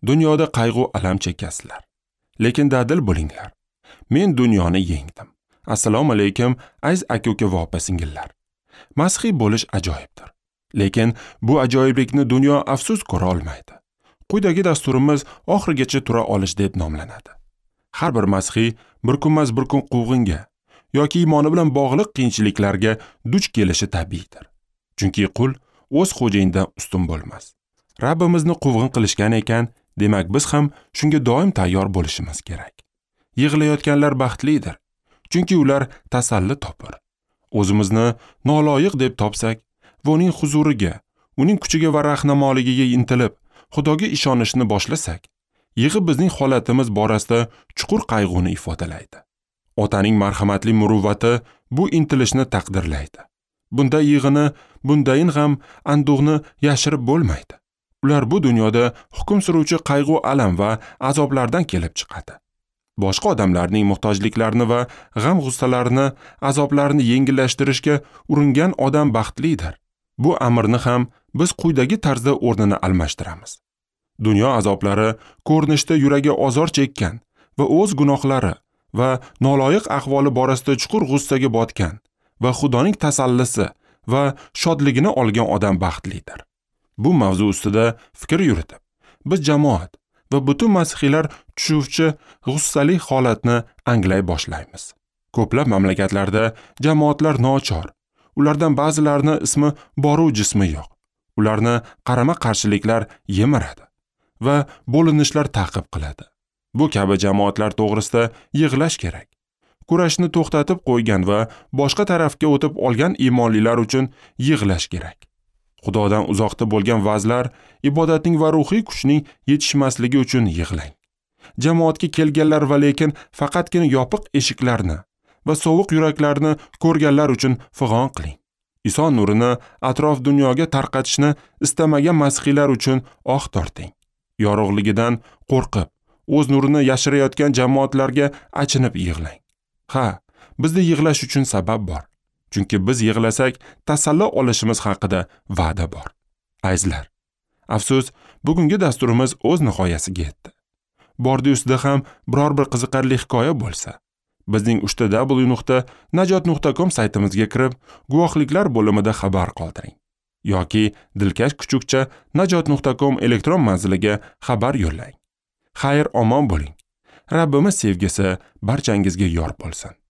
Dunyoda qayg'u alam chekasizlar. Lekin dadil bo'linglar. Men dunyoni yengdim. Assalomu alaykum, aziz aka-uka va opa-singillar. Masihiy bo'lish ajoyibdir. Lekin bu ajoyiblikni dunyo afsus ko'ra olmaydi. Quyidagi dasturimiz oxirigacha tura olish deb nomlanadi. Har bir masihiy bir kunmas bir kun quvg'inga yoki iymoni bilan bog'liq qiyinchiliklarga duch kelishi tabiiydir. Chunki qul o'z xo'jayinidan ustun bo'lmas. Rabbimizni quvg'in qilishgan ekan, demak biz ham shunga doim tayyor bo'lishimiz kerak. Yig'layotganlar baxtlidir, chunki ular tasalli topar. O'zimizni noloyiq deb topsak va uning huzuriga, uning kuchiga va rahnamoiligiga intilib, Xudoga ishonishni boshlasak, yig'i bizning holatimiz borasida chuqur qayg'uni ifodalaydi. Otaning marhamatli muruvvati bu intilishni taqdirlaydi. Bunda yig'ini, bundayin g'am, anduhni yashirib bo'lmaydi. Ular bu dunyoda hukm suruvchi qayg'u, alam va azoblardan kelib chiqadi. Boshqa odamlarning muhtojliklarini va g'am-g'ussalarini, azoblarini yengillashtirishga uringan odam baxtlidir. Bu amrni ham biz quyidagi tarzda o'rnini almashtiramiz. Dunyo azoblari ko'rinishda yuragi ozor chekkan va o'z gunohlari va noloyiq ahvoli borasida chuqur g'ussaga botgan va Xudoning tasallisi va shodligini olgan odam baxtlidir. Bu mavzu ustida fikr yuritib, biz jamoat va butun masihiylar tushuvchi g'ussali holatni anglay boshlaymiz. Ko'plab mamlakatlarda jamoatlar nochor. Ulardan ba'zilarini ismi boru jismi yo'q. Ularni qarama-qarshiliklar yemiradi va bo'linishlar ta'qib qiladi. Bu kabi jamoatlar to'g'risida yig'lash kerak. Kurashni to'xtatib qo'ygan va boshqa tarafga o'tib olgan iymonlilar uchun yig'lash kerak. Xudodan uzoqda bo'lgan vazlar, ibodatning va ruhiy kuchning yetishmasligi uchun yig'lang. Jamoatga kelganlar va lekin faqatgina yopiq eshiklarni va sovuq yuraklarni ko'rganlar uchun fig'on qiling. Iso nurini atrof dunyoga tarqatishni istamagan masihiylar uchun oh torting. Yorug'ligidan qo'rqib, o'z nurini yashirayotgan jamoatlarga achinib yig'lang. Ha, bizda yig'lash uchun sabab bor. Chunki biz yig'lasak, tasalli olishimiz haqida va'da bor. Azizlar, afsus, bugungi dasturimiz o'z nihoyasiga yetdi. Bordi ustida ham biror bir qiziqarli hikoya bo'lsa, bizning www.najot.com saytimizga kirib, guvohliklar bo'limida xabar qoldiring yoki dilkash kuchukcha najot.com elektron manziliga xabar yo'llang. Xayr, omon bo'ling. Rabbimiz sevgisi barchangizga yor bo'lsin.